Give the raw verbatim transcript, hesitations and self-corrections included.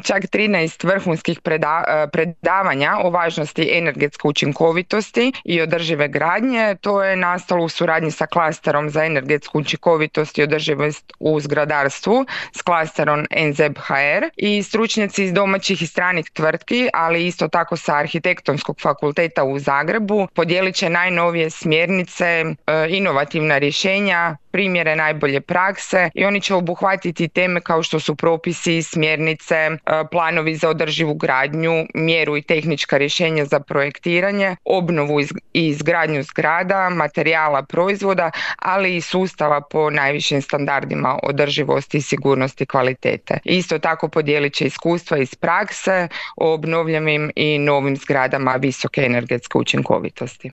čak trinaest vrhunskih preda- predavanja o važnosti energetske učinkovitosti i održive gradnje. To je nastalo u suradnji sa klasterom za energetsku učinkovitost i održivost u zgradarstvu s klasterom N Z E B H R i stručnjaci iz domaćih i stranih tvrtki, ali isto tako sa Arhitektonskog fakulteta u Zagrebu podijelit će najnovije smjernice, inovativna rješenja, primjere najbolje prakse i oni će obuhvatiti teme kao što su propisi, smjernice, planovi za održivu gradnju, mjeru i tehnička rješenja za projektiranje, obnovu i izgradnju zgrada, materijala, proizvoda, ali i sustava po najvišim standardima održivosti, sigurnosti, kvalitete. Isto tako podijelit će iskustva iz prakse o obnovljivim i novim zgradama visoke energetske učinkovitosti.